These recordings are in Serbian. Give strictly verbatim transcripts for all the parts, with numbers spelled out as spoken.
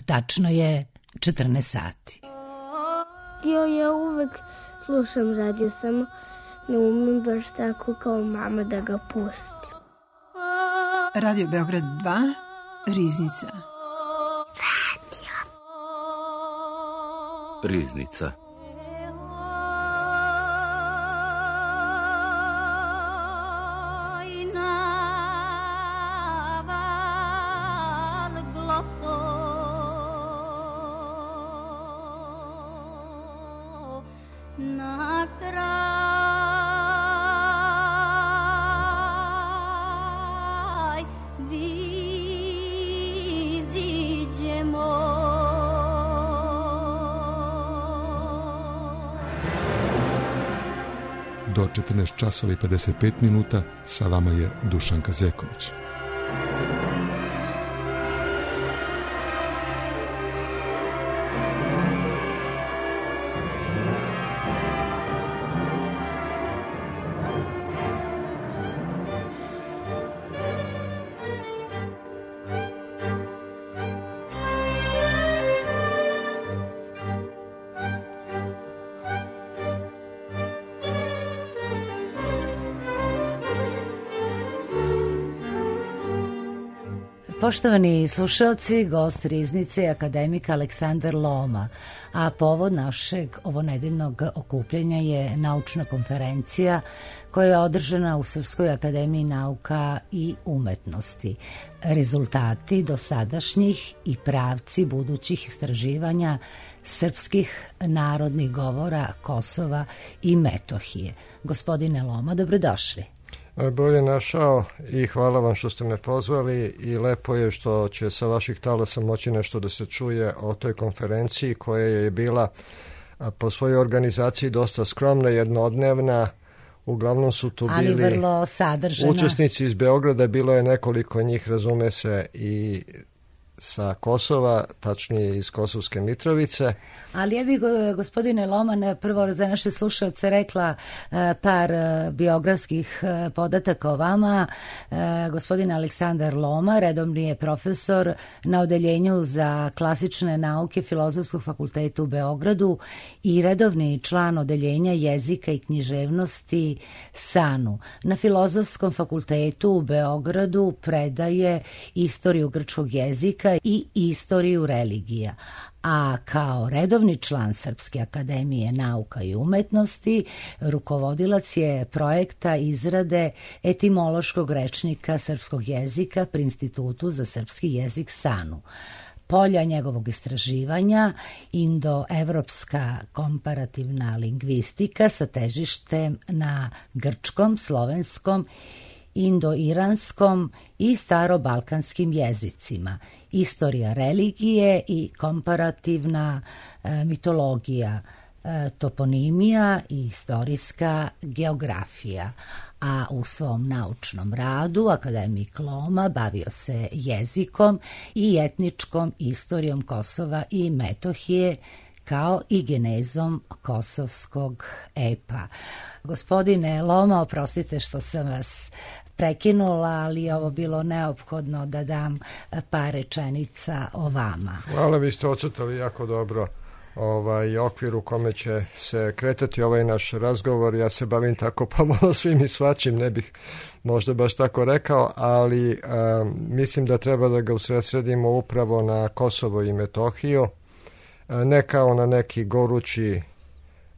tačno je četrnaest sati. Jo, ja uvek slušam radio, samo ne umem baš tako kao mama da ga pustim. Radio Beograd dva, Riznica. Radio. Riznica. Do četrnaest časova i pedeset pet minuta sa vama je Dušanka Zeković. Poštovani slušalci, gost Riznice je akademik Aleksandar Loma, a povod našeg ovonedeljnog okupljanja je naučna konferencija koja je održana u Srpskoj akademiji nauka i umetnosti. Rezultati dosadašnjih i pravci budućih istraživanja srpskih narodnih govora Kosova i Metohije. Gospodine Loma, dobrodošli. Bolje našao i hvala vam što ste me pozvali i lepo je što će sa vaših talasa moći nešto da se čuje o toj konferenciji koja je bila po svojoj organizaciji dosta skromna, jednodnevna. Uglavnom su tu bili vrlo sadržana. Učesnici iz Beograda, bilo je nekoliko njih, razume se, i sa Kosova, tačnije iz Kosovske Mitrovice. Ali ja bih, gospodine Loman, prvo za naše slušalce rekla par biografskih podataka o vama. Gospodin Aleksandar Loma redovni je profesor na odeljenju za klasične nauke Filozofskog fakulteta u Beogradu i redovni član odeljenja jezika i književnosti SANU. Na Filozofskom fakultetu u Beogradu predaje istoriju grčkog jezika i istoriju religija, a kao redovni član Srpske akademije nauka i umetnosti rukovodilac je projekta izrade etimološkog rečnika srpskog jezika pri Institutu za srpski jezik SANU. Polja njegovog istraživanja indoevropska komparativna lingvistika sa težištem na grčkom, slovenskom, indoiranskom i starobalkanskim jezicima, istorija religije i komparativna e, mitologija, e, toponimija i istorijska geografija. A u svom naučnom radu akademik Loma bavio se jezikom i etničkom istorijom Kosova i Metohije, kao i genezom kosovskog epa. Gospodine Loma, oprostite što sam vas prekinula, ali je ovo bilo neophodno da dam par rečenica o vama. Hvala, vi ste ocrtali jako dobro ovaj okvir u kome će se kretati ovaj naš razgovor. Ja se bavim tako pomalo svim i svačim, ne bih možda baš tako rekao, ali a, mislim da treba da ga usredsredimo upravo na Kosovo i Metohiju, a, ne kao na neki gorući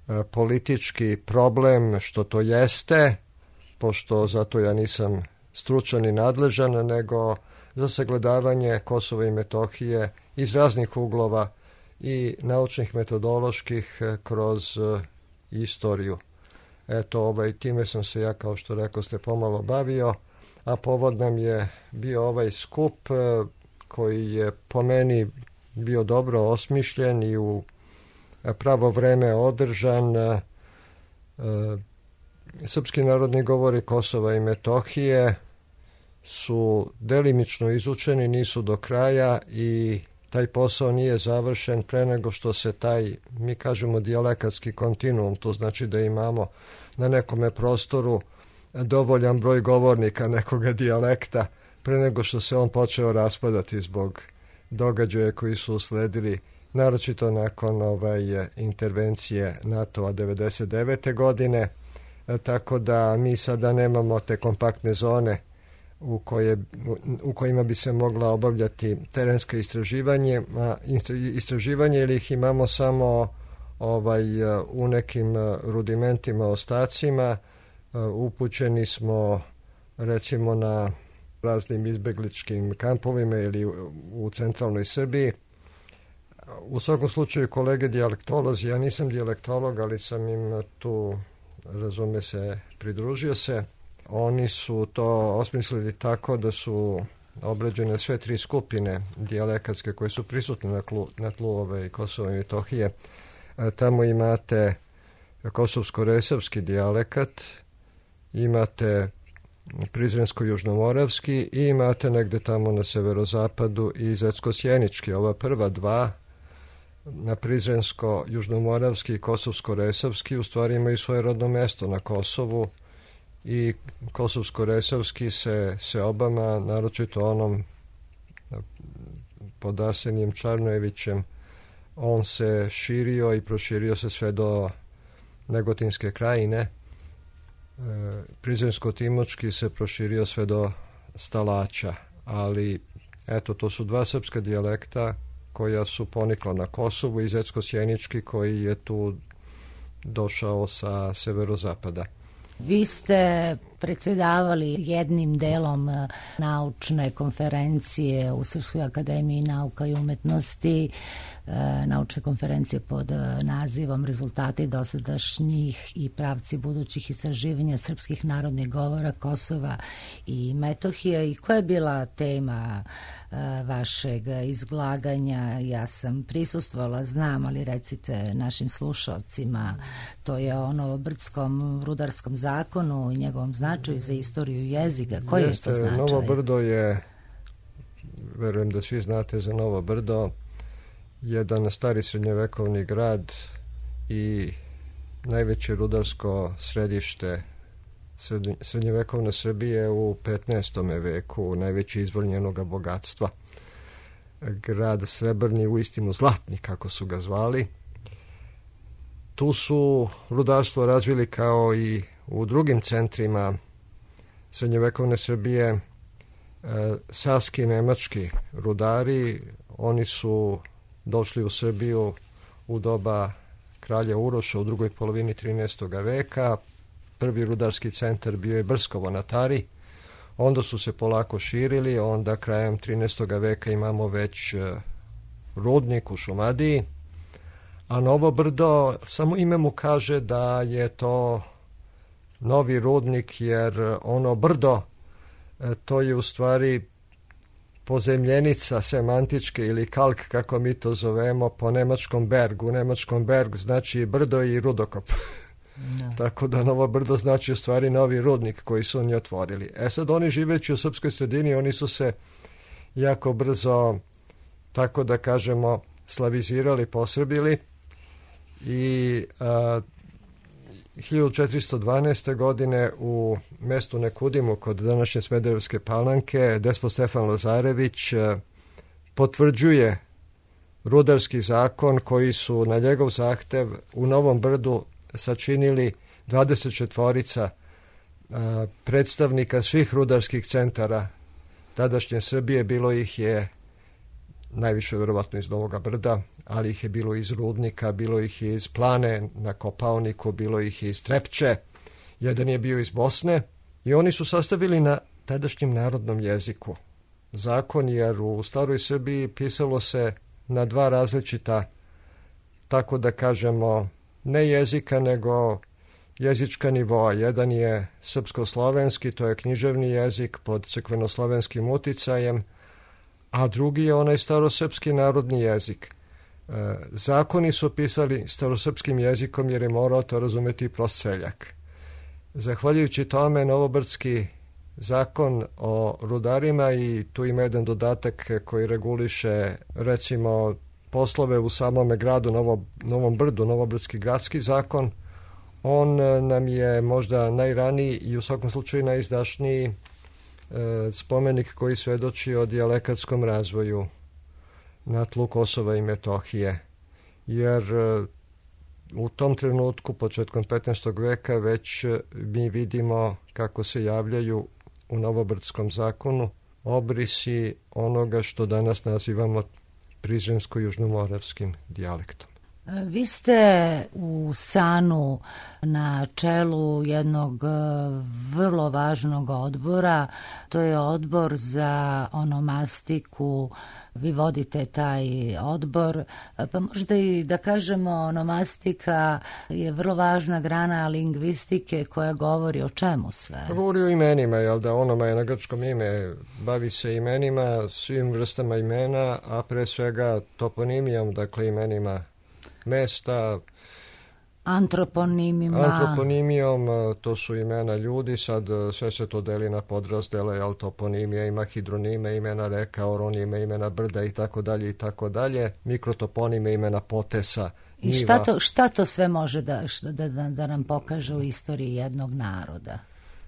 a, politički problem, što to jeste, pošto zato ja nisam stručan i nadležan, nego za sagledavanje Kosova i Metohije iz raznih uglova i naučnih, metodoloških, kroz uh, istoriju. Eto, ovaj, time sam se ja, kao što rekao ste, pomalo bavio, a povod nam je bio ovaj skup uh, koji je po meni bio dobro osmišljen i u pravo vreme održan. Uh, uh, Srpski narodni govori Kosova i Metohije su delimično izučeni, nisu do kraja i taj posao nije završen pre nego što se taj, mi kažemo, dijalekatski kontinuum, to znači da imamo na nekome prostoru dovoljan broj govornika nekoga dijalekta pre nego što se on počeo raspadati zbog događaje koji su usledili, naročito nakon ovaj, intervencije NATO-a devedeset devete godine, e, tako da mi sada nemamo te kompaktne zone u, koje, u kojima bi se mogla obavljati terenska istraživanje, a, istraživanje ili ih imamo samo ovaj, u nekim rudimentima, ostacima. Upućeni smo recimo na raznim izbegličkim kampovima ili u, u centralnoj Srbiji. U svakom slučaju kolege dijalektolozi, ja nisam dijalektolog, ali sam im tu, razume se, pridružio se. Oni su to osmislili tako da su obrađene sve tri skupine dijalekatske koje su prisutne na, tlu, na tlu ove Kosova i Metohije. E, tamo imate kosovsko-resavski dijalekat, imate prizrensko-južnomoravski i imate negde tamo na severozapadu i zetsko-sjenički. Ova prva dva, na prizrensko-južnomoravski i kosovsko-resavski, u stvari imaju svoje rodno mesto na Kosovu i kosovsko-resavski se, se obama, naročito onom pod Arsenijem Čarnojevićem, on se širio i proširio se sve do Negotinske krajine. E, Prizrensko-timočki se proširio sve do Stalaća, ali eto, to su dva srpska dijalekta koja su ponikla na Kosovu i zetsko-sjenički koji je tu došao sa severozapada. Vi ste predsjedavali jednim delom naučne konferencije u Srpskoj akademiji nauka i umetnosti, naučne konferencije pod nazivom Rezultati dosadašnjih i pravci budućih istraživanja srpskih narodnih govora Kosova i Metohije. I koja je bila tema vašeg izlaganja? Ja sam prisustvovala, znam, ali recite našim slušalcima. To je o novobrdskom rudarskom zakonu i njegovom značaju za istoriju jezika. Koji Jeste, je to značaj? Novo Brdo je, verujem da svi znate za Novo Brdo, jedan stari srednjevekovni grad i najveće rudarsko središte srednjevekovne Srbije u petnaestom veku, najveći izvor njenog bogatstva. Grad srebrni, uistinu zlatni, kako su ga zvali. Tu su rudarstvo razvili kao i u drugim centrima srednjevekovne Srbije e, saski nemački rudari. Oni su došli u Srbiju u doba kralja Uroša u drugoj polovini trinaestog veka. Prvi rudarski centar bio je Brskovo na Tari. Onda su se polako širili, onda krajem trinaestog veka imamo već rudnik u Šumadiji. A Novo Brdo, samo ime mu kaže da je to novi rudnik, jer ono brdo, to je u stvari pozemljenica semantičke ili kalk, kako mi to zovemo, po nemačkom bergu. U nemačkom berg znači brdo i rudokop. No. Tako da Novo Brdo znači u stvari novi rudnik koji su oni otvorili. E sad, oni živeći u srpskoj sredini, oni su se jako brzo, tako da kažemo, slavizirali, posrbili i a, hiljadu četiristo dvanaeste. godine u mestu Nekudimu kod današnje Smederevske Palanke despot Stefan Lazarević a, potvrđuje rudarski zakon koji su na njegov zahtev u Novom Brdu sačinili dvadeset četiri a, predstavnika svih rudarskih centara tadašnje Srbije. Bilo ih je najviše verovatno iz Novog Brda, ali ih je bilo iz Rudnika, bilo ih je iz Plane na Kopaoniku, bilo ih je iz Trepče, jedan je bio iz Bosne i oni su sastavili na tadašnjem narodnom jeziku zakon, jer u staroj Srbiji pisalo se na dva različita, tako da kažemo, ne jezika, nego jezička nivoa. Jedan je srpsko-slovenski, to je književni jezik pod crkvenoslovenskim uticajem, a drugi je onaj starosrpski narodni jezik. E, zakoni su pisali starosrpskim jezikom jer je morao to razumeti prost seljak. Zahvaljujući tome, novobrdski zakon o rudarima, i tu ima jedan dodatak koji reguliše, recimo, poslove u samome gradu Novo, Novom Brdu, Novobrdski gradski zakon, on nam je možda najraniji i u svakom slučaju najizdašniji e, spomenik koji svedoči o dijalektskom razvoju na tlu Kosova i Metohije, jer u tom trenutku, početkom petnaestog veka, već mi vidimo kako se javljaju u Novobrdskom zakonu obrisi onoga što danas nazivamo prizrensko-južnomoravskim dijalektom. Vi ste u Sanu na čelu jednog vrlo važnog odbora, to je odbor za onomastiku. Vi vodite taj odbor, pa možda i da kažemo onomastika je vrlo važna grana lingvistike koja govori o čemu sve? Govori o imenima, jel da, onoma je na grčkom ime, bavi se imenima, svim vrstama imena, a pre svega toponimijom, dakle imenima mesta, antroponimima. Antroponimijom, to su imena ljudi, sad sve se to deli na podrazdele, jel, toponimija ima hidronime, imena reka, oronime, imena brda i tako dalje i tako dalje, mikrotoponime, imena potesa, I šta to, šta to sve može da, da, da, da nam pokaže u istoriji jednog naroda?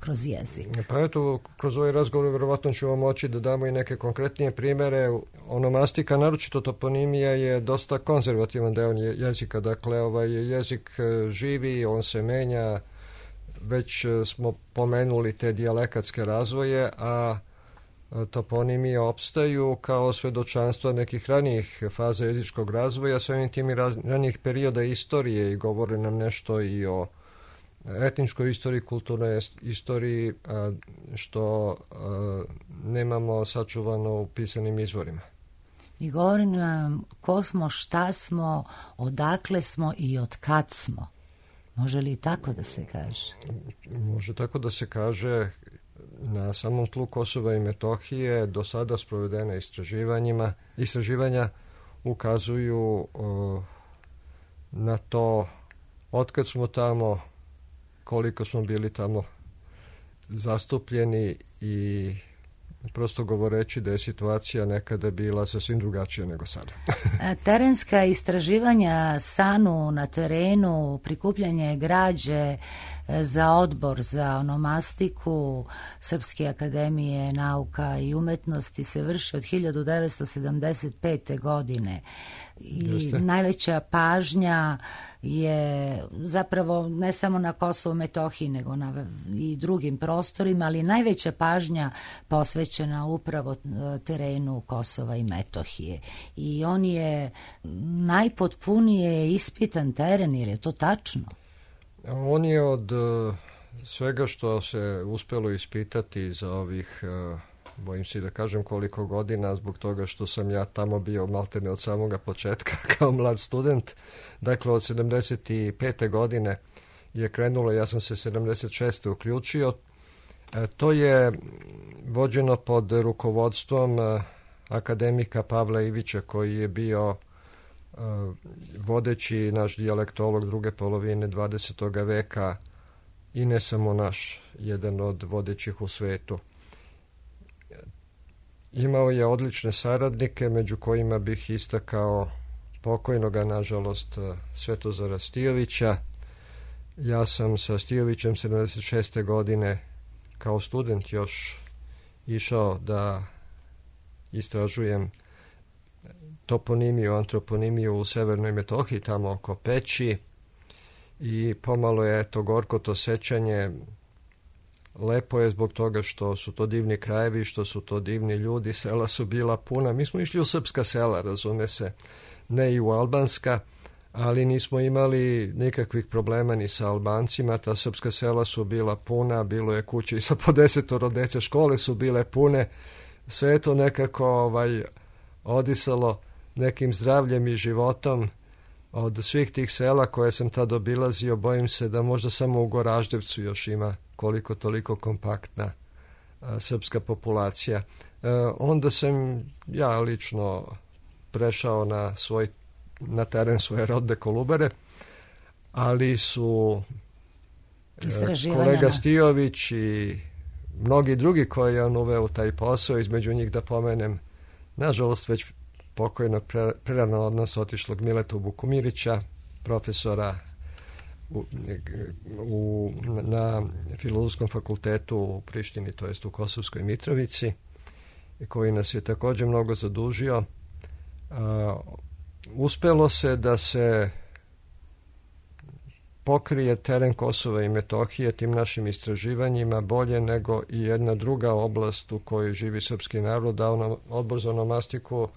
Kroz jezik. Pa eto, kroz ovaj razgovor verovatno ćemo moći da damo i neke konkretnije primere. Onomastika, naročito toponimija, je dosta konzervativan deo jezika. Dakle, ovaj jezik živi, on se menja. Već smo pomenuli te dijalekatske razvoje, a toponimije opstaju kao svedočanstva nekih ranijih faza jezičkog razvoja, samim tim i ranijih perioda istorije, i govore nam nešto i o etničkoj istoriji, kulturnoj istoriji, što nemamo sačuvano u pisanim izvorima. I govori nam ko smo, šta smo, odakle smo i od kad smo. Može li tako da se kaže? Može tako da se kaže. Na samom tlu Kosova i Metohije do sada sprovedene istraživanjima, istraživanja ukazuju o, na to otkad smo tamo, koliko smo bili tamo zastupljeni, i prosto govoreći da je situacija nekada bila sasvim drugačija nego sada. Terenska istraživanja Sanu na terenu, prikupljanje građe za odbor za onomastiku Srpske akademije nauka i umetnosti se vrši od hiljadu devetsto sedamdeset pete. godine. I Jeste. Najveća pažnja je zapravo ne samo na Kosovu i Metohiji, nego na i drugim prostorima, ali najveća pažnja posvećena upravo terenu Kosova i Metohije. I on je najpotpunije ispitan teren, ili je to tačno? On je od uh, svega što se uspelo ispitati za ovih, uh, bojim se da kažem koliko godina, zbog toga što sam ja tamo bio maltene od samoga početka kao mlad student. Dakle, od sedamdeset pete. godine je krenulo, ja sam se sedamdeset šeste. uključio. E, to je vođeno pod rukovodstvom uh, akademika Pavla Ivića, koji je bio vodeći naš dijalektolog druge polovine dvadesetog veka, i ne samo naš, jedan od vodećih u svetu. Imao je odlične saradnike, među kojima bih istakao pokojnoga, nažalost, Svetozara Stijovića. Ja sam sa Stijovićem sedamdeset šeste. godine kao student još išao da istražujem toponimiju, antroponimiju u Severnoj Metohiji, tamo oko Peći, i pomalo je to gorko to sećanje. Lepo je zbog toga što su to divni krajevi, što su to divni ljudi, sela su bila puna. Mi smo išli u srpska sela, razume se, ne i u albanska, ali nismo imali nikakvih problema ni sa Albancima. Ta srpska sela su bila puna, bilo je kuće i sa po desetoro dece, škole su bile pune, sve je to nekako ovaj, odisalo nekim zdravljem i životom. Od svih tih sela koje sam tad obilazio, bojim se da možda samo u Goraždevcu još ima koliko toliko kompaktna a, srpska populacija. E, onda sam ja lično prešao na svoj na teren svoje rodne Kolubare, ali su e, kolega Stijović i mnogi drugi koji je on uveo u taj posao, između njih da pomenem, nažalost već pokojnog prerano od nas otišlog Miletu Bukumirića, profesora u, u, na Filozofskom fakultetu u Prištini, to jest u Kosovskoj Mitrovici, koji nas je također mnogo zadužio. A, uspelo se da se pokrije teren Kosova i Metohije tim našim istraživanjima bolje nego i jedna druga oblast u kojoj živi srpski narod, a ono, Odbor za onomastiku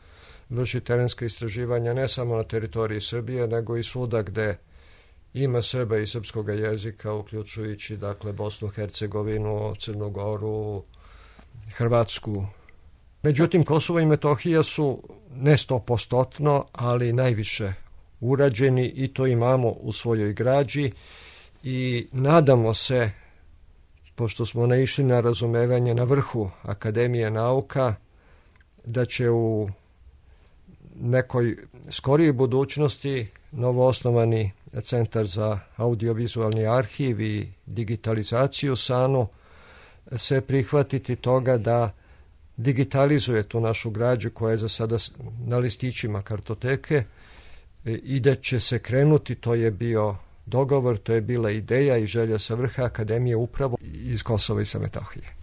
vrši terenska istraživanja ne samo na teritoriji Srbije, nego i svuda gde ima Srba i srpskog jezika, uključujući dakle Bosnu, Hercegovinu, Crnu Goru, Hrvatsku. Međutim, Kosovo i Metohija su ne stopostotno, ali najviše urađeni i to imamo u svojoj građi i nadamo se, pošto smo naišli na razumevanje na vrhu Akademije nauka, da će u nekoj skorijoj budućnosti novoosnovani Centar za audiovizualni arhiv i digitalizaciju SANU se prihvatiti toga da digitalizuje tu našu građu koja je za sada na listićima kartoteke i da će se krenuti, to je bio dogovor, to je bila ideja i želja sa vrha Akademije upravo iz Kosova i sa Metohije.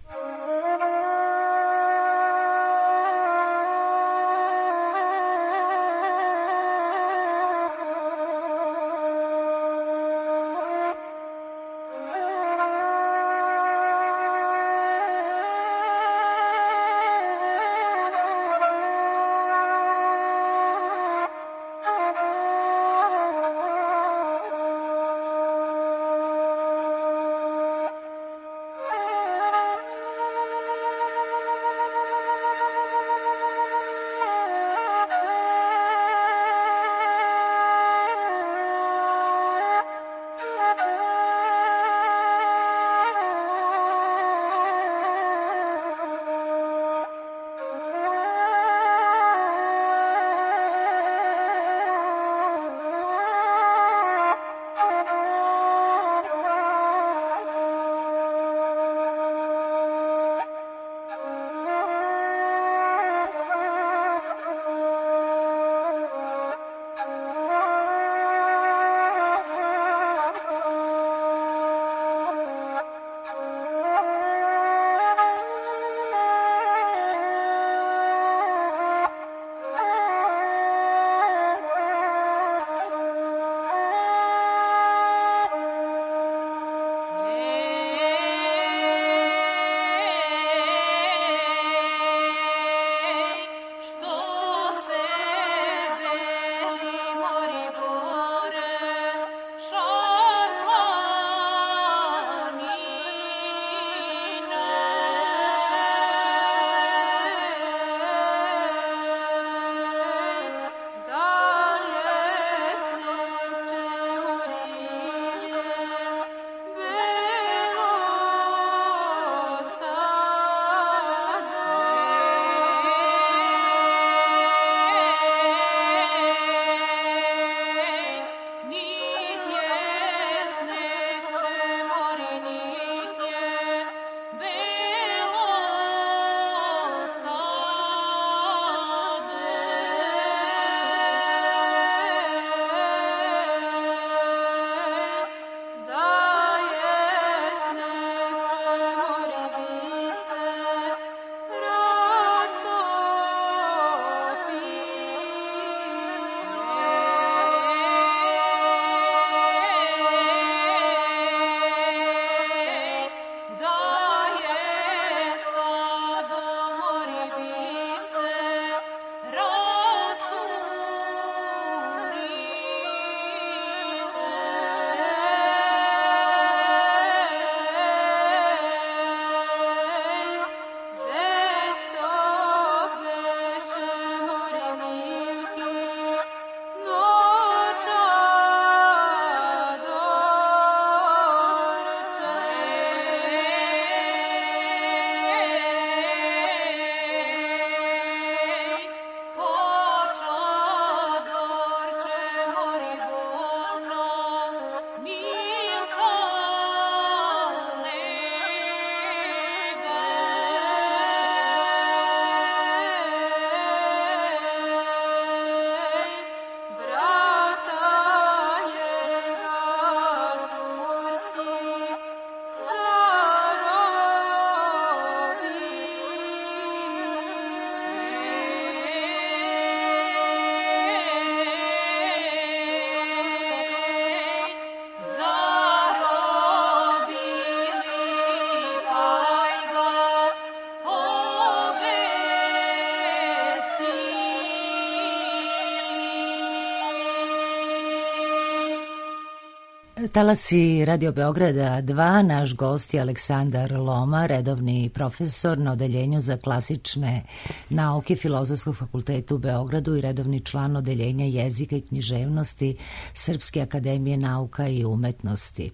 Talasi Radio Beograda dva, naš gost je Aleksandar Loma, redovni profesor na Odeljenju za klasične nauke Filozofskog fakulteta u Beogradu i redovni član Odeljenja jezika i književnosti Srpske akademije nauka i umetnosti.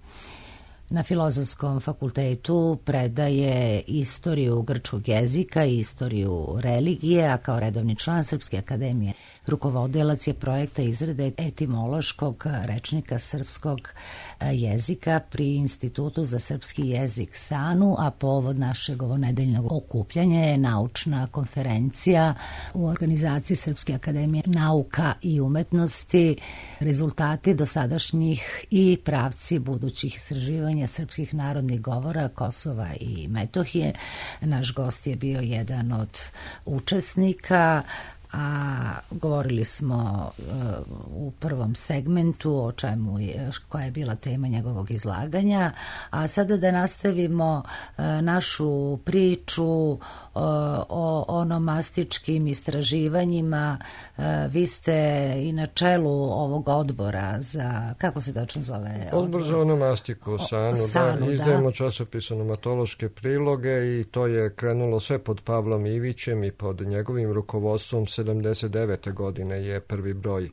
Na Filozofskom fakultetu predaje istoriju grčkog jezika i istoriju religije, a kao redovni član Srpske akademije rukovodilac je projekta izrade etimološkog rečnika srpskog jezika pri Institutu za srpski jezik SANU, a povod našeg ovonedeljnog okupljanja je naučna konferencija u organizaciji Srpske akademije nauka i umetnosti, rezultati dosadašnjih i pravci budućih istraživanja srpskih narodnih govora Kosova i Metohije. Naš gost je bio jedan od učesnika, a govorili smo uh, u prvom segmentu o čemu je, koja je bila tema njegovog izlaganja, a sada da nastavimo uh, našu priču uh, o onomastičkim istraživanjima. Uh, vi ste i na čelu ovog odbora za, kako se tačno zove? Odbor za onomastiku, SANU, SANU da, izdajemo da. časopis onomatološke priloge i to je krenulo sve pod Pavlom Ivićem i pod njegovim rukovodstvom. sedamdeset devete godine je prvi broj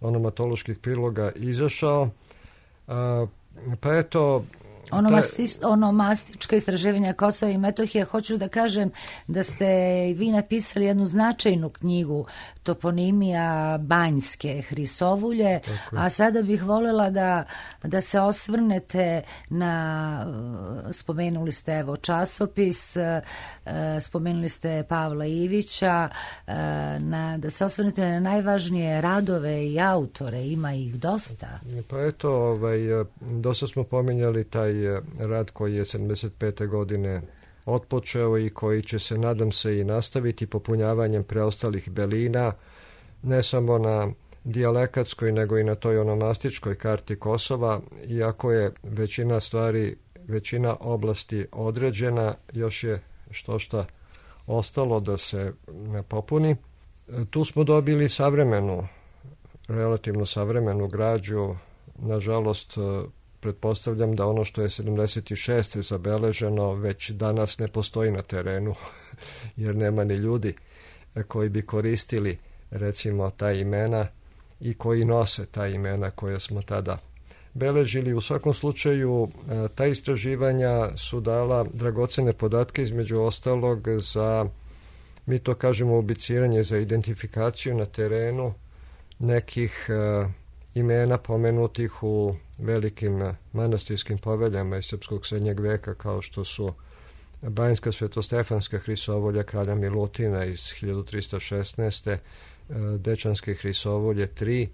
onomatoloških priloga izašao. A, pa eto... Onomasti, onomastička istraživanja Kosova i Metohije. Hoću da kažem da ste i vi napisali jednu značajnu knjigu Toponimija Banjske Hrisovulje, a sada bih voljela da, da se osvrnete na, spomenuli ste evo časopis, spomenuli ste Pavla Ivića, na, da se osvrnete na najvažnije radove i autore, ima ih dosta. Pa eto, ovaj, dosta smo pominjali taj rad koji je sedamdeset pete godine otpočeo i koji će se, nadam se, i nastaviti popunjavanjem preostalih belina, ne samo na dijalekatskoj, nego i na toj onomastičkoj karti Kosova, iako je većina stvari, većina oblasti određena, još je što šta ostalo da se popuni. Tu smo dobili savremenu, relativno savremenu građu, nažalost, pretpostavljam da ono što je sedamdeset šeste zabeleženo već danas ne postoji na terenu, jer nema ni ljudi koji bi koristili recimo ta imena i koji nose ta imena koje smo tada beležili. U svakom slučaju, ta istraživanja su dala dragocene podatke, između ostalog za, mi to kažemo, ubiciranje, za identifikaciju na terenu nekih imena pomenutih u velikim manastirskim poveljama iz srpskog srednjeg veka, kao što su Banjska Svetostefanska Hrisovolja kralja Milutina iz hiljadu trista šesnaeste. Dečanske Hrisovolje tri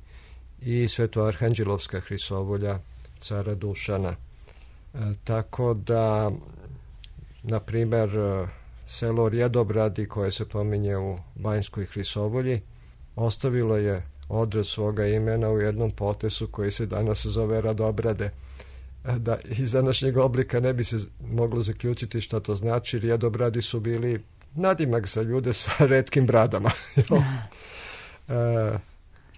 i Svetoarhanđelovska Hrisovolja cara Dušana. E, tako da, na primer, selo Rjedobradi, koje se pominje u Banjskoj Hrisovolji, ostavilo je odred svoga imena u jednom potesu koji se danas zove Radobrade. Da iz današnjeg oblika ne bi se moglo zaključiti šta to znači. Rjedobradi su bili nadimak za ljude sa retkim bradama. e,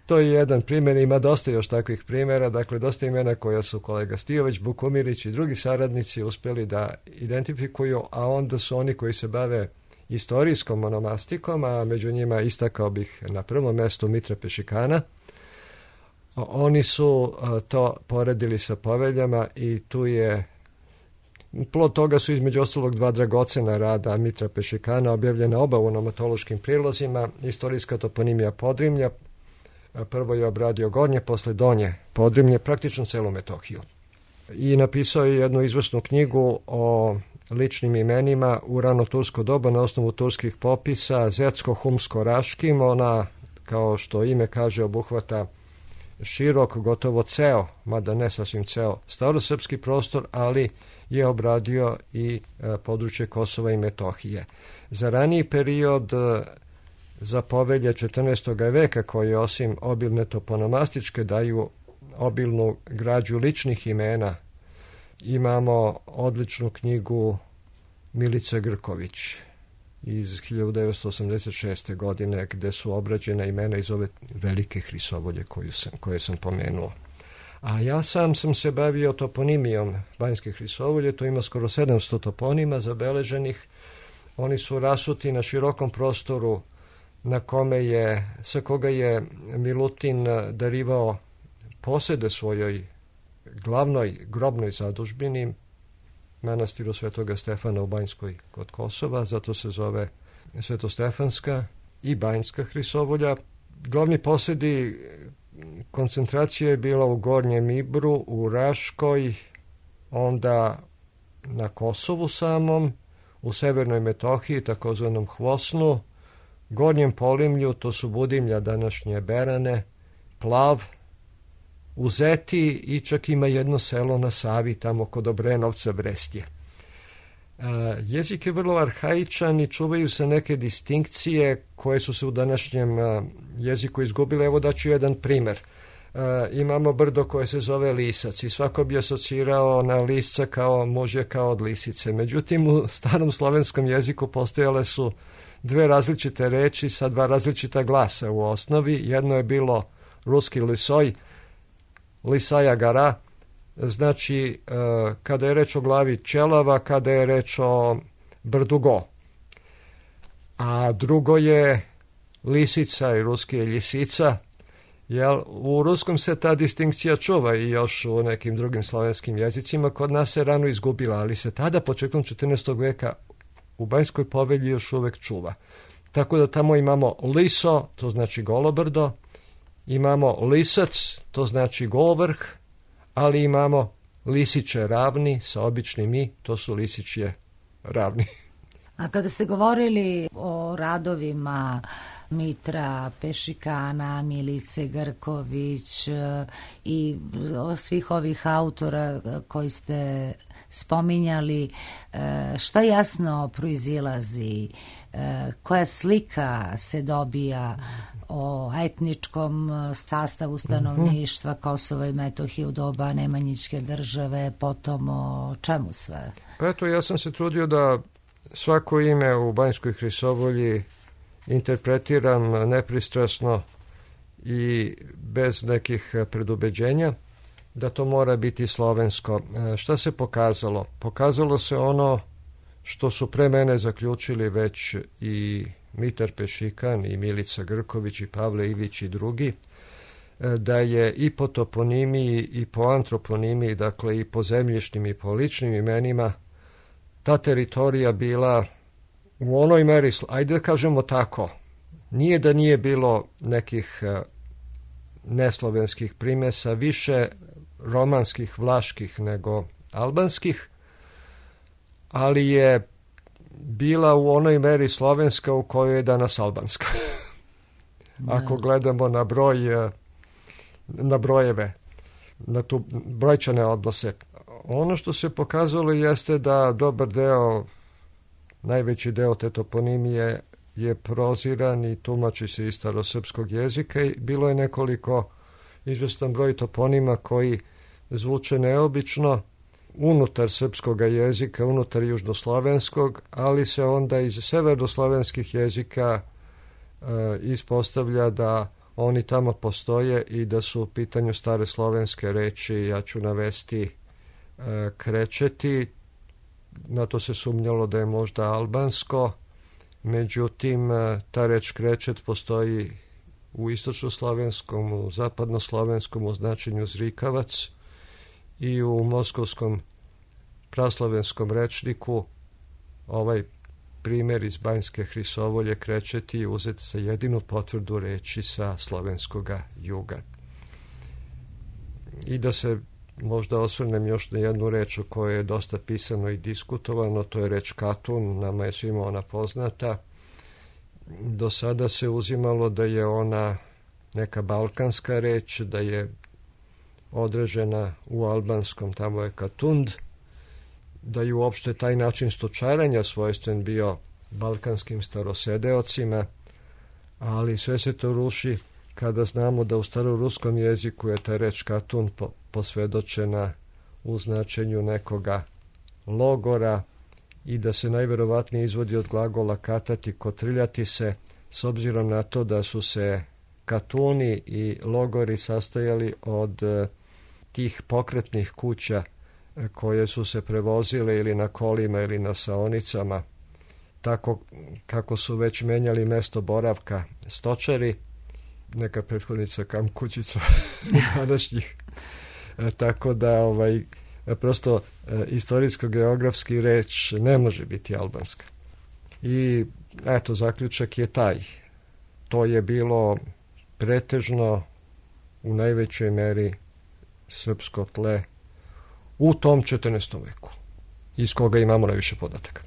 to je jedan primjer, ima dosta još takvih primjera, dakle dosta imena koja su kolega Stijović, Bukumirić i drugi saradnici uspjeli da identifikuju, a onda su oni koji se bave istorijskom onomastikom, a među njima istakao bih na prvom mjestu Mitra Pešikana. Oni su to poredili sa poveljama i tu je, plod toga su između ostalog dva dragocena rada Mitra Pešikana, objavljena oba u onomatološkim prilozima, istorijska toponimija Podrimlja. Prvo je obradio Gornje, posle Donje Podrimlje, praktično celu Metohiju. I napisao je jednu izvrsnu knjigu o ličnim imenima u rano tursko doba na osnovu turskih popisa, Zetsko-Humsko-Raškim. Ona, kao što ime kaže, obuhvata širok, gotovo ceo, mada ne sasvim ceo, starosrpski prostor, ali je obradio i e, područje Kosova i Metohije. Za raniji period, e, za povelje četrnaestog veka, koje osim obilne toponomastičke daju obilnu građu ličnih imena, imamo odličnu knjigu Milice Grković iz hiljadu devetsto osamdeset šeste. godine, gde su obrađena imena iz ove velike Hrisovolje koju sam, koje sam pomenuo. A ja sam sam se bavio toponimijom Banjske Hrisovolje, to ima skoro sedamsto toponima zabeleženih. Oni su rasuti na širokom prostoru na kome je, sa koga je Milutin darivao posede svojoj glavnoj grobnoj zadužbini, manastiru Svetoga Stefana u Banjskoj kod Kosova, zato se zove Svetostefanska i Banjska Hrisovolja. Glavni posedi koncentracija je bila u Gornjem Ibru, u Raškoj, onda na Kosovu samom, u Severnoj Metohiji, takozvanom Hvosnu, Gornjem Polimlju, to su Budimlja, današnje Berane, Plav, u Zeti i čak ima jedno selo na Savi, tamo kod Obrenovca, Brestje. E, jezik je vrlo arhaičan i čuvaju se neke distinkcije koje su se u današnjem a, jeziku izgubile. Evo daću jedan primer. E, imamo brdo koje se zove Lisac i svako bi asocirao na lisca kao mužje kao od lisice. Međutim, u starom slovenskom jeziku postojale su dve različite reči sa dva različita glasa u osnovi. Jedno je bilo ruski lisoj, Lisaja gara, znači e, kada je reč o glavi ćelava, kada je reč o brdu go. A drugo je lisica i ruski je ljisica. Jel, u ruskom se ta distinkcija čuva i još u nekim drugim slovenskim jezicima. Kod nas se rano izgubila, ali se tada početkom četrnaestog veka u Banjskoj povelji još uvek čuva. Tako da tamo imamo liso, to znači golobrdo, imamo lisac, to znači golvrh, ali imamo lisiće ravni sa običnim i, to su lisićje ravni. A kada ste govorili o radovima Mitra Pešikana, Milice Grković i svih ovih autora koji ste spominjali, šta jasno proizilazi, koja slika se dobija o etničkom sastavu stanovništva Kosova i Metohije u doba Nemanjićke države, potom o čemu sve? Pa eto, ja sam se trudio da svako ime u Banjskoj Hrisovolji interpretiram nepristrasno i bez nekih predubeđenja, da to mora biti slovensko. Šta se pokazalo? Pokazalo se ono što su pre mene zaključili već i Mitar Pešikan i Milica Grković i Pavle Ivić i drugi, da je i po toponimiji i po antroponimiji, dakle i po zemljišnim i po ličnim imenima, ta teritorija bila u onoj meri, ajde da kažemo tako, nije da nije bilo nekih neslovenskih primesa, više romanskih, vlaških nego albanskih, ali je bila u onoj meri slovenska u kojoj je danas albanska. Ako gledamo na broj, na brojeve, na tu brojčane odnose. Ono što se pokazalo jeste da dobar deo, najveći deo te toponimije je proziran i tumači se iz starosrpskog jezika i bilo je nekoliko izvestan broj toponima koji zvuče neobično unutar srpskog jezika, unutar južnoslovenskog, ali se onda iz severnoslovenskih jezika e, ispostavlja da oni tamo postoje i da su u pitanju stare slovenske reči, ja ću navesti e, krečeti, na to se sumnjalo da je možda albansko, međutim ta reč krečet postoji u istočnoslovenskom, u zapadnoslovenskom u značenju zrikavac i u moskovskom praslovenskom rečniku ovaj primjer iz Banjske Hrisovolje krečeti uzet sa jedinu potvrdu reči sa slovenskoga juga. I da se možda osvrnem još na jednu reč o kojoj je dosta pisano i diskutovano, to je reč katun, nama je svima ona poznata. Do sada se uzimalo da je ona neka balkanska reč, da je određena u albanskom, tamo je katund, da je uopšte taj način stočaranja svojstven bio balkanskim starosedeocima, ali sve se to ruši kada znamo da u staroruskom jeziku je ta reč katun po, posvedočena u značenju nekoga logora i da se najverovatnije izvodi od glagola katati, kotriljati se, s obzirom na to da su se katuni i logori sastojali od tih pokretnih kuća koje su se prevozile ili na kolima ili na saonicama, tako kako su već menjali mesto boravka stočari, neka prethodnica kamp kućica današnjih. E, tako da ovaj, prosto e, istorijsko-geografski reč ne može biti albanska. I eto, zaključak je taj. To je bilo pretežno u najvećoj meri srpsko tle u tom četrnaestom veku, iz koga imamo najviše podataka.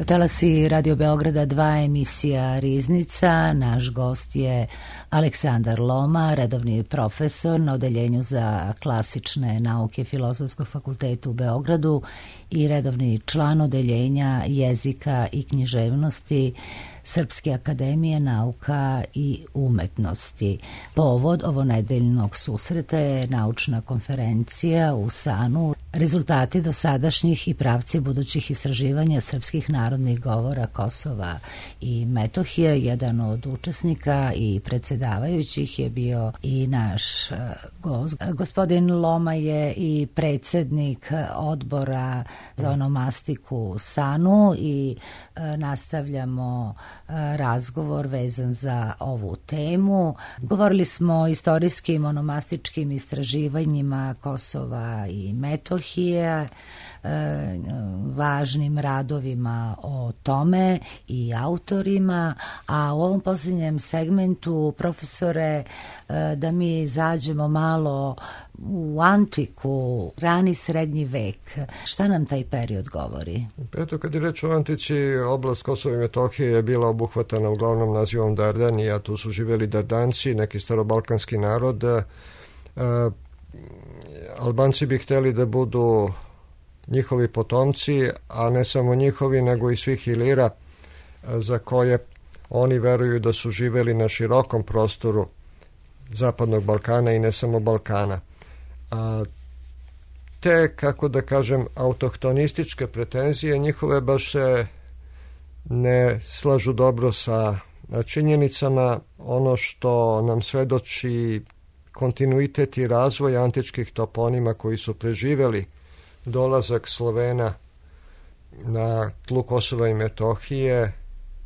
Talasi Radio Beograda dva, emisija Riznica. Naš gost je Aleksandar Loma, redovni profesor na Odeljenju za klasične nauke Filozofskog fakulteta u Beogradu i redovni član Odeljenja jezika i književnosti Srpske akademije nauka i umetnosti. Povod ovonedeljnog susreta je naučna konferencija u Sanu, rezultati dosadašnjih i pravci budućih istraživanja srpskih narodnih govora Kosova i Metohije. Jedan od učesnika i predsjedavajućih je bio i naš gost. Gospodin Loma je i predsjednik odbora za onomastiku u Sanu i nastavljamo razgovor vezan za ovu temu. Govorili smo o istorijskim onomastičkim istraživanjima Kosova i Metohije, važnim radovima o tome i autorima, a u ovom posljednjem segmentu, profesore, da mi zađemo malo u antiku, rani srednji vek. Šta nam taj period govori? Eto, kad je reč o antici, oblast Kosova i Metohije je bila obuhvatana uglavnom nazivom Dardanija. Tu su živjeli Dardanci, neki starobalkanski narod. E, Albanci bi htjeli da budu njihovi potomci, a ne samo njihovi, nego i svih Ilira, za koje oni veruju da su živjeli na širokom prostoru Zapadnog Balkana i ne samo Balkana. A te, kako da kažem, autohtonističke pretenzije njihove baš se ne slažu dobro sa činjenicama. Ono što nam svedoči kontinuitet i razvoj antičkih toponima koji su preživjeli dolazak Slovena na tlu Kosova i Metohije,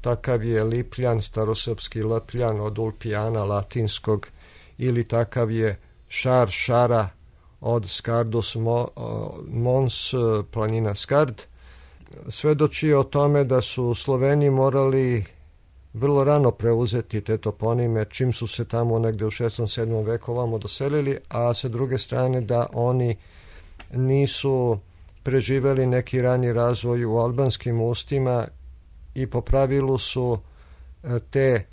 takav je Lipljan, starosrpski Lepljan od Ulpijana latinskog, ili takav je Šar, Šara od Skardus Mons, planina Skard, svedoči o tome da su Sloveni morali vrlo rano preuzeti te toponime, čim su se tamo negde u šestom sedmom veku ovamo doselili, a sa druge strane da oni nisu preživeli neki rani razvoj u albanskim ustima i po pravilu su te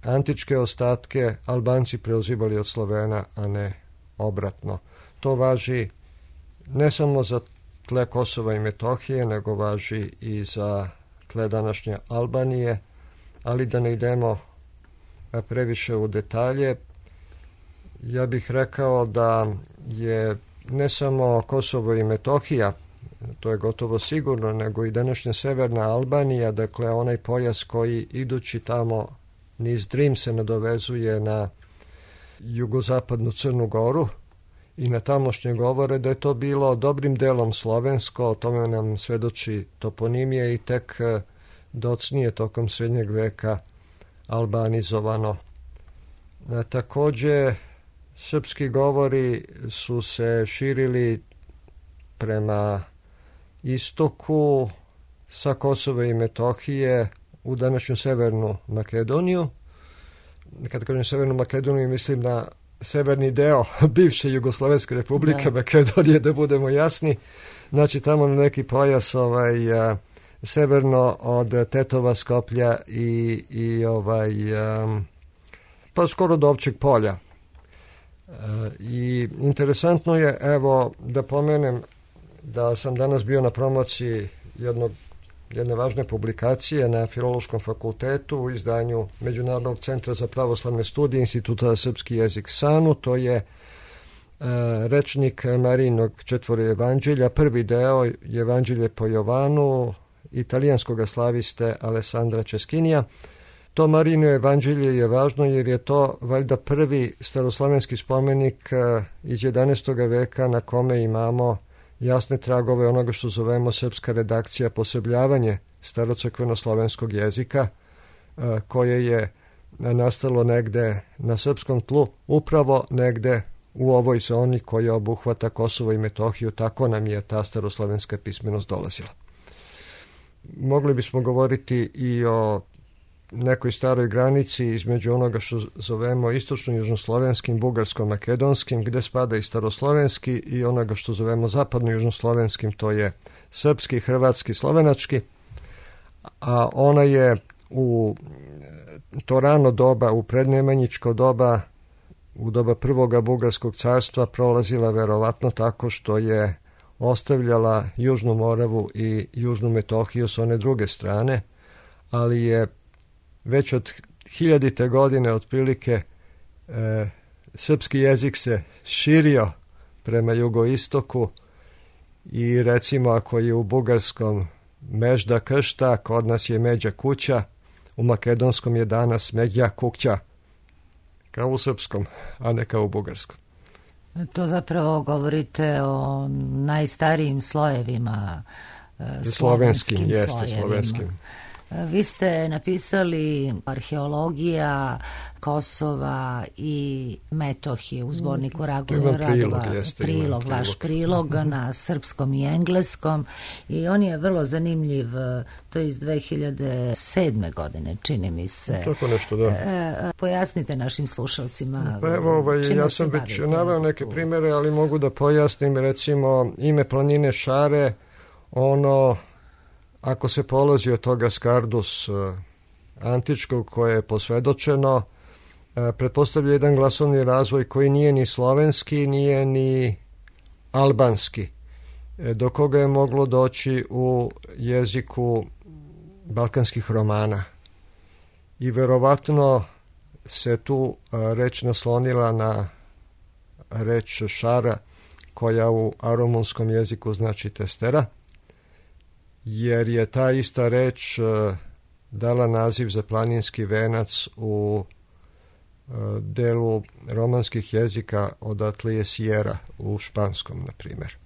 antičke ostatke Albanci preuzimali od Slovena, a ne obratno. To važi ne samo za tle Kosova i Metohije, nego važi i za tle današnje Albanije, ali da ne idemo previše u detalje. Ja bih rekao da je ne samo Kosovo i Metohija, to je gotovo sigurno, nego i današnja severna Albanija, dakle onaj pojas koji idući tamo niz Drim se nadovezuje na jugozapadnu Crnu Goru i na tamošnje govore, da je to bilo dobrim delom slovensko, o tome nam svedoči toponimije i tek docnije tokom srednjeg veka albanizovano. A, takođe, srpski govori su se širili prema istoku sa Kosova i Metohije u današnju Severnu Makedoniju. Kad kažem Severnu Makedoniju, mislim na severni deo bivše Jugoslovenske republike, da. Makedonije, da budemo jasni. Znači tamo na neki pojas ovaj, a, severno od Tetova, Skoplja i, i ovaj, a, pa skoro do Ovčeg polja. I interesantno je, evo, da pomenem da sam danas bio na promociji jednog, jedne važne publikacije na Filološkom fakultetu u izdanju Međunarodnog centra za pravoslavne studije Instituta za srpski jezik Sanu. To je e, rečnik Marijinog četvore evanđelja. Prvi deo je Evanđelje po Jovanu, italijanskog slaviste Alessandra Českinija. To Marijino evanđelje je važno jer je to valjda prvi staroslovenski spomenik iz jedanaestog veka na kome imamo jasne tragove onoga što zovemo srpska redakcija, posebljavanje starocrkveno-slovenskog jezika, koje je nastalo negde na srpskom tlu, upravo negde u ovoj zoni koja obuhvata Kosovo i Metohiju. Tako nam je ta staroslovenska pismenost dolazila. Mogli bismo govoriti i o nekoj staroj granici između onoga što zovemo istočno-južnoslovenskim, bugarsko-makedonskim, gde spada i staroslovenski, i onoga što zovemo zapadno-južnoslovenskim, to je srpski, hrvatski, slovenački. a ona je u to rano doba, u prednemanjičko doba, u doba prvoga Bugarskog carstva prolazila verovatno tako što je ostavljala Južnu Moravu i Južnu Metohiju s one druge strane, ali je već od hiljadite godine otprilike e, srpski jezik se širio prema jugoistoku i recimo ako je u bugarskom Mežda Kršta, kod nas je Međa kuća, u makedonskom je danas Međa kuća, kao u srpskom, a ne kao u bugarskom. To zapravo govorite o najstarijim slojevima, slovenskim, slovenskim, jeste, slojevima. slovenskim. Vi ste napisali arheologija Kosova i Metohije u zborniku Radova, prilog, jeste, prilog, prilog. vaš prilog na srpskom i engleskom i on je vrlo zanimljiv, to je iz dve hiljade sedme godine, čini mi se. Tako nešto, da. E, pojasnite našim slušalcima. Pa evo, ovaj, ja sam već naveo neke primere, ali mogu da pojasnim, recimo, ime planine Šare, ono, ako se polazi od toga Skardus antičkog koje je posvedočeno, pretpostavlja jedan glasovni razvoj koji nije ni slovenski, nije ni albanski, do koga je moglo doći u jeziku balkanskih romana. I verovatno se tu reč naslonila na reč šara, koja u arumunskom jeziku znači testera, jer je ta ista reč uh, dala naziv za planinski venac u uh, delu romanskih jezika, odatle je Sierra u španskom, na primjer.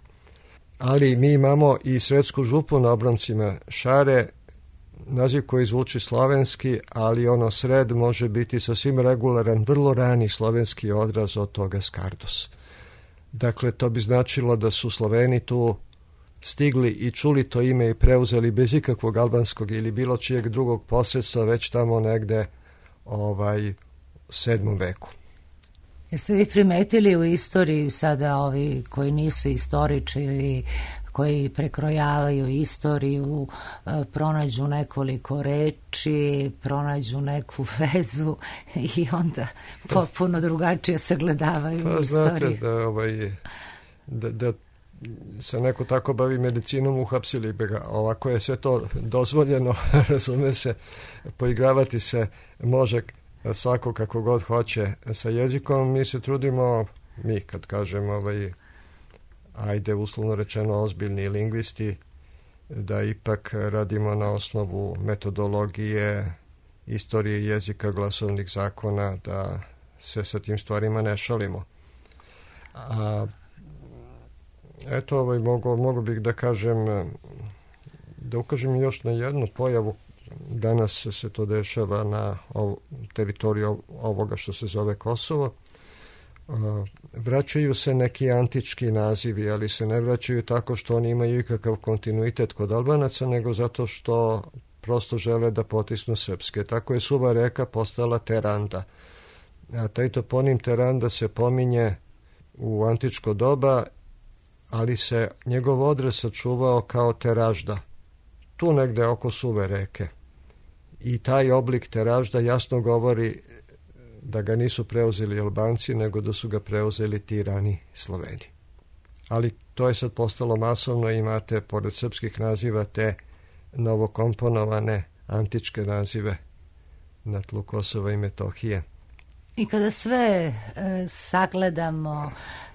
Ali mi imamo i Sredsku župu na obroncima Šare, naziv koji zvuči slovenski, ali ono sred može biti sasvim regularan, vrlo rani slovenski odraz od toga Skardus. Dakle, to bi značilo da su Sloveni tu stigli i čuli to ime i preuzeli bez ikakvog albanskog ili bilo čijeg drugog posredstva već tamo negde ovaj, u sedmom veku. Jeste vi primetili u istoriji sada ovi koji nisu istoričari, koji prekrojavaju istoriju, pronađu nekoliko reči, pronađu neku vezu i onda potpuno drugačije sagledavaju pa, istoriju? Znate da, ovaj, da, da se neko tako bavi medicinom, uhapsili bi ga. Ovako je sve to dozvoljeno, razume se, poigravati se može svako kako god hoće sa jezikom. Mi se trudimo, mi kad kažemo ovaj, ajde uslovno rečeno ozbiljni lingvisti, da ipak radimo na osnovu metodologije, istorije jezika, glasovnih zakona, da se sa tim stvarima ne šalimo. A eto, ovaj, mogu, mogu bih da kažem, da ukažem još na jednu pojavu. Danas se to dešava na ov, teritoriju ovoga što se zove Kosovo. Vraćaju se neki antički nazivi, ali se ne vraćaju tako što oni imaju ikakav kontinuitet kod Albanaca, nego zato što prosto žele da potisnu srpske. Tako je Suva reka postala Teranda. A taj toponim Teranda se pominje u antičko doba, ali se njegov odraz sačuvao kao Teražda, tu negde oko Suve reke. I taj oblik Teražda jasno govori da ga nisu preuzeli Albanci, nego da su ga preuzeli ti rani Sloveni. Ali to je sad postalo masovno, imate pored srpskih naziva te novokomponovane antičke nazive na tlu Kosova i Metohije. I kada sve e, sagledamo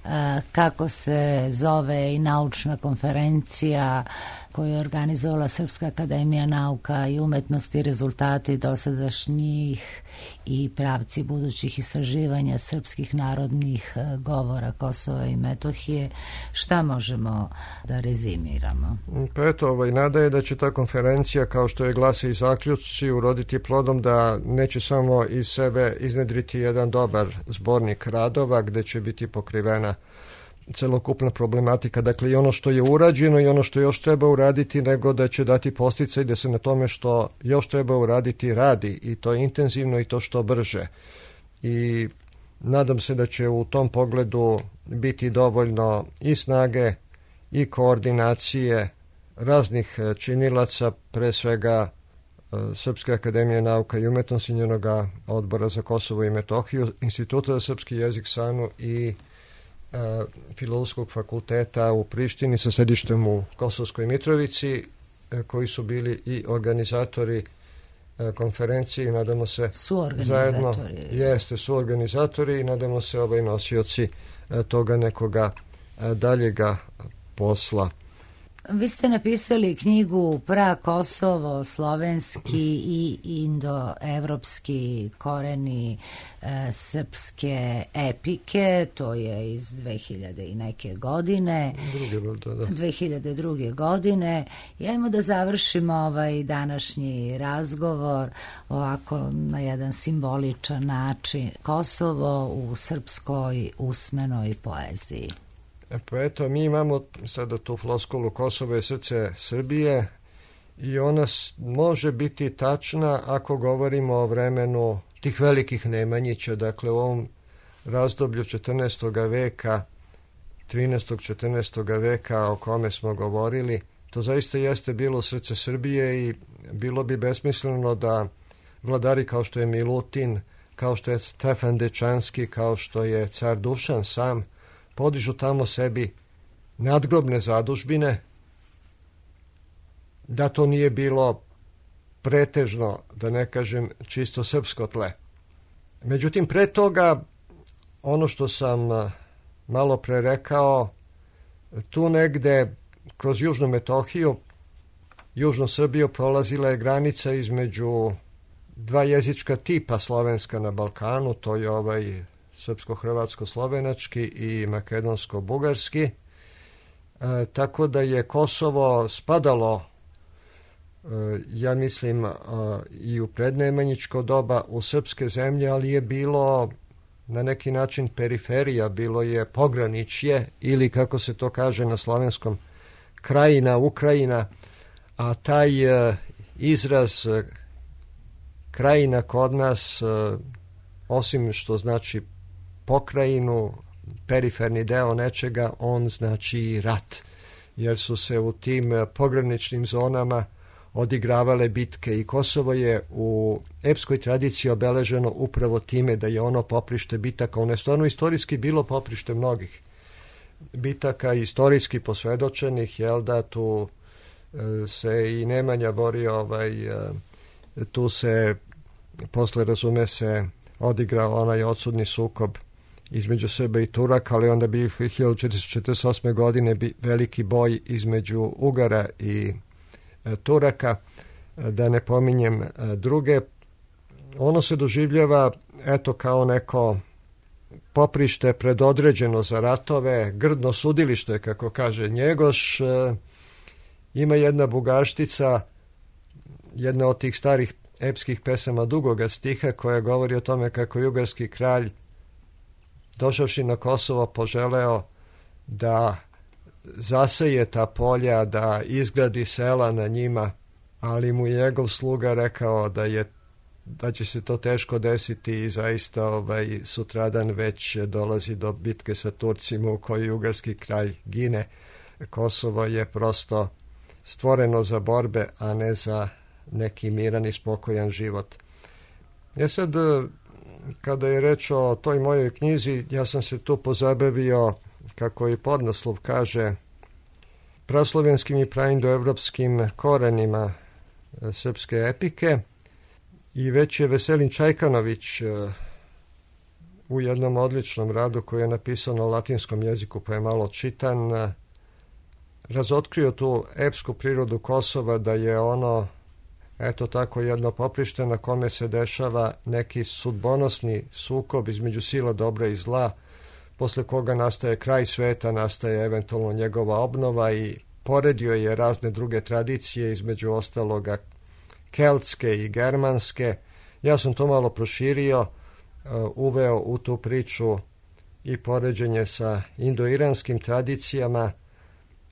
e, kako se zove i naučna konferencija koju je organizovala Srpska akademija nauka i umetnosti, rezultati dosadašnjih i pravci budućih istraživanja srpskih narodnih govora Kosova i Metohije, šta možemo da rezimiramo? Pa eto, ovaj, nada je da će ta konferencija, kao što je glase i zaključci, uroditi plodom da neće samo iz sebe iznedriti jedan dobar zbornik radova gde će biti pokrivena celokupna problematika, dakle i ono što je urađeno i ono što još treba uraditi, nego da će dati podsticaj da se na tome što još treba uraditi radi, i to intenzivno i to što brže. I nadam se da će u tom pogledu biti dovoljno i snage i koordinacije raznih činilaca, pre svega Srpske akademije nauka i umetnosti, njenog odbora za Kosovo i Metohiju, Instituta za srpski jezik SANU i uh, Filozofskog fakulteta u Prištini sa sedištem u Kosovskoj Mitrovici, uh, koji su bili i organizatori uh, konferencije i nadamo se zajedno jeste su organizatori i nadamo se ovaj nosioci uh, toga nekoga uh, daljega posla. Vi ste napisali knjigu Pra Kosovo, slovenski i indoevropski koreni e, srpske epike, to je iz dve hiljade i neke godine. Druge, da. dve hiljade druge. godine. I ajmo da završimo ovaj današnji razgovor ovako na jedan simboličan način. Kosovo u srpskoj usmenoj poeziji. Pa eto, mi imamo sada tu floskulu Kosovo je srce Srbije i ona može biti tačna ako govorimo o vremenu tih velikih Nemanjića, dakle u ovom razdoblju četrnaestog veka, trinaestog četrnaestog veka o kome smo govorili. To zaista jeste bilo srce Srbije i bilo bi besmisleno da vladari kao što je Milutin, kao što je Stefan Dečanski, kao što je car Dušan sam, podižu tamo sebi nadgrobne zadužbine, da to nije bilo pretežno, da ne kažem, čisto srpsko tle. Međutim, pre toga, ono što sam malo pre rekao, tu negde kroz Južnu Metohiju, Južnu Srbiju prolazila je granica između dva jezička tipa slovenska na Balkanu, to je ovaj srpsko-hrvatsko-slovenački i makedonsko-bugarski, e, tako da je Kosovo spadalo, e, ja mislim, e, i u prednemanjičko doba u srpske zemlje, ali je bilo na neki način periferija, bilo je pograničje ili kako se to kaže na slovenskom, krajina, Ukrajina, a taj e, izraz e, krajina kod nas, e, osim što znači pokrajinu, periferni deo nečega, on znači rat, jer su se u tim pograničnim zonama odigravale bitke i Kosovo je u epskoj tradiciji obeleženo upravo time da je ono poprište bitaka. Ono je stvarno istorijski bilo poprište mnogih bitaka, istorijski posvedočenih, jel da, tu se i Nemanja borio, ovaj, tu se posle, razume se, odigrao onaj odsudni sukob između Srba i Turaka, ali onda bi hiljadu četiristo četrdeset osme. godine bi veliki boj između Ugara i e, Turaka, da ne pominjem e, druge. Ono se doživljava eto kao neko poprište predodređeno za ratove, grdno sudilište, kako kaže Njegoš. E, ima jedna bugarštica, jedna od tih starih epskih pesama dugoga stiha koja govori o tome kako je ugarski kralj došavši na Kosovo poželeo da zaseje ta polja, da izgradi sela na njima, ali mu je njegov sluga rekao da je da će se to teško desiti i zaista ovaj, sutradan već dolazi do bitke sa Turcima u kojoj ugarski kralj gine. Kosovo je prosto stvoreno za borbe, a ne za neki miran i spokojan život. Ja sad, kada je reč o toj mojoj knjizi, ja sam se tu pozabavio, kako i podnaslov kaže, praslovenskim i praindoevropskim korenima srpske epike i već je Veselin Čajkanović u jednom odličnom radu koji je napisao na latinskom jeziku pa je malo čitan, razotkrio tu epsku prirodu Kosova, da je ono eto tako jedno poprište na kome se dešava neki sudbonosni sukob između sila dobra i zla, posle koga nastaje kraj sveta, nastaje eventualno njegova obnova i poredio je razne druge tradicije, između ostaloga keltske i germanske. Ja sam to malo proširio, uveo u tu priču i poređenje sa indoiranskim tradicijama.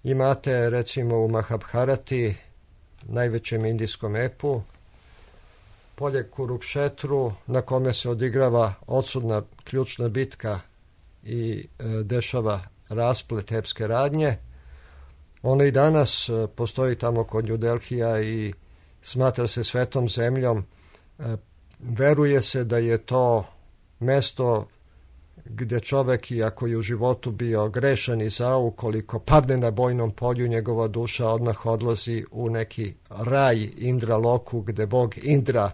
Imate recimo u Mahabharati, najvećem indijskom epu, polje Kurukšetru, na kome se odigrava odsudna ključna bitka i e, dešava rasplet epske radnje. Ona i danas e, postoji tamo kod New Delhija i smatra se svetom zemljom. Veruje se da je to mesto gdje čovek, iako je u životu bio grešan i zao, ukoliko padne na bojnom polju, njegova duša odmah odlazi u neki raj Indra Loku, gde bog Indra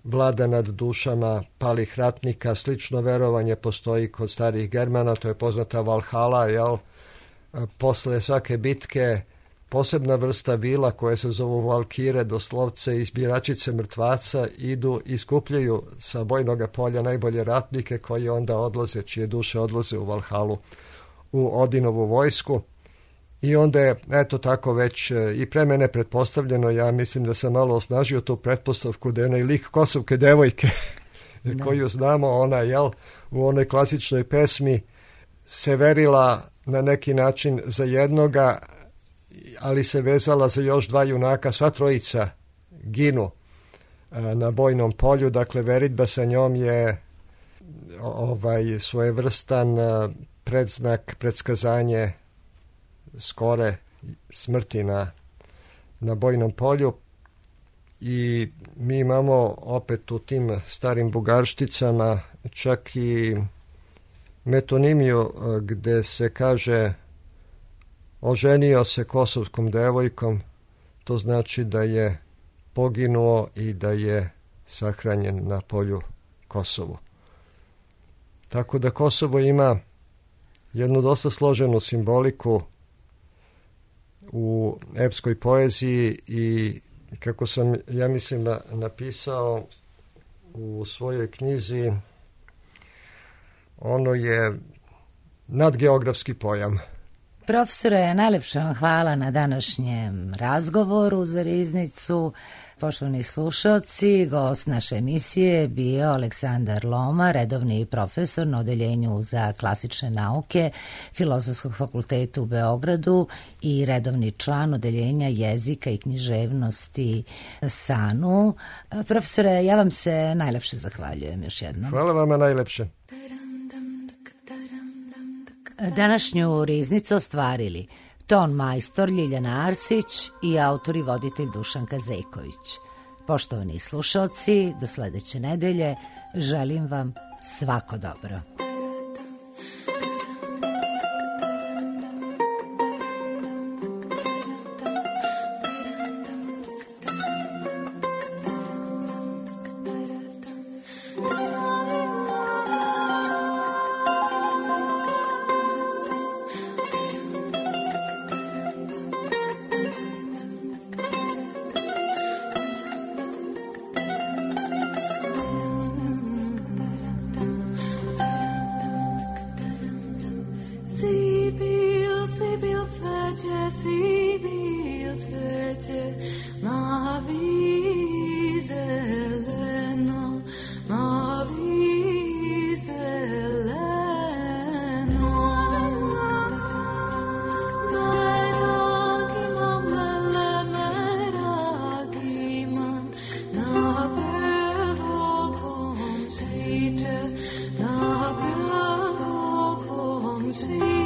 vlada nad dušama palih ratnika. Slično verovanje postoji kod starih Germana, to je poznata Valhalla, jel? Posle svake bitke posebna vrsta vila koje se zovu valkire, doslovce izbiračice mrtvaca, idu i skupljaju sa bojnog polja najbolje ratnike koji onda odlaze, čije duše odlaze u Valhalu, u Odinovu vojsku. I onda je, eto tako već i pre mene pretpostavljeno, ja mislim da sam malo osnažio tu pretpostavku da je onaj lik Kosovke devojke koju znamo, ona, jel, u onoj klasičnoj pesmi se verila na neki način za jednoga, ali se vezala za još dva junaka, sva trojica ginu na bojnom polju, dakle veritba sa njom je ovaj svojevrstan predznak, predskazanje skore smrti na, na bojnom polju. I mi imamo opet u tim starim bugaršticama čak i metonimiju gde se kaže oženio se kosovskom devojkom, to znači da je poginuo i da je sahranjen na polju Kosovu. Tako da Kosovo ima jednu dosta složenu simboliku u epskoj poeziji i kako sam, ja mislim, napisao u svojoj knjizi, ono je nadgeografski pojam. Profesore, najlepša vam hvala na današnjem razgovoru za Riznicu. Poštovani slušalci, gost naše emisije bio Aleksandar Loma, redovni profesor na Odeljenju za klasične nauke Filozofskog fakulteta u Beogradu i redovni član Odeljenja jezika i književnosti SANU. Profesore, ja vam se najlepše zahvaljujem još jednom. Hvala vama najlepše. Današnju Riznicu ostvarili ton majstor Ljiljana Arsić i autor i voditelj Dušanka Zejković. Poštovani slušalci, do sledeće nedelje želim vam svako dobro. See